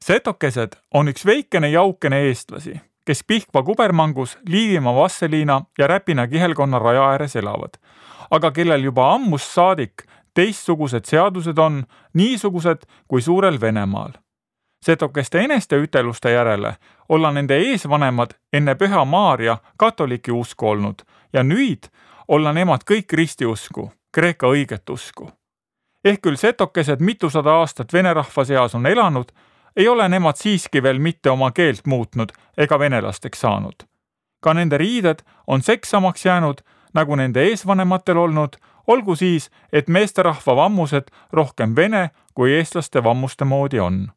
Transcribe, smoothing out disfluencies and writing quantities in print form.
Setokesed on üks veikene jaukene eestlasi, kes Pihkva kubermangus Liivimaa Vasseliina ja Räpina kihelkonna raja ääres elavad, aga kellel juba ammust saadik teistsugused seadused on, niisugused kui suurel Venemaal. Setokeste eneste üteluste järele olla nende eesvanemad enne Püha Maarja katoliki usku olnud ja nüüd olla nemad kõik ristiusku, kreeka õiget usku. Ehk küll setokesed mitusada aastat vene rahva seas on elanud, ei ole nemad siiski veel mitte oma keelt muutnud ega venelasteks saanud. Ka nende riided on seksamaks jäänud, nagu nende eesvanematel olnud, olgu siis, et meesterahva vammused rohkem vene kui eestlaste vammuste moodi on.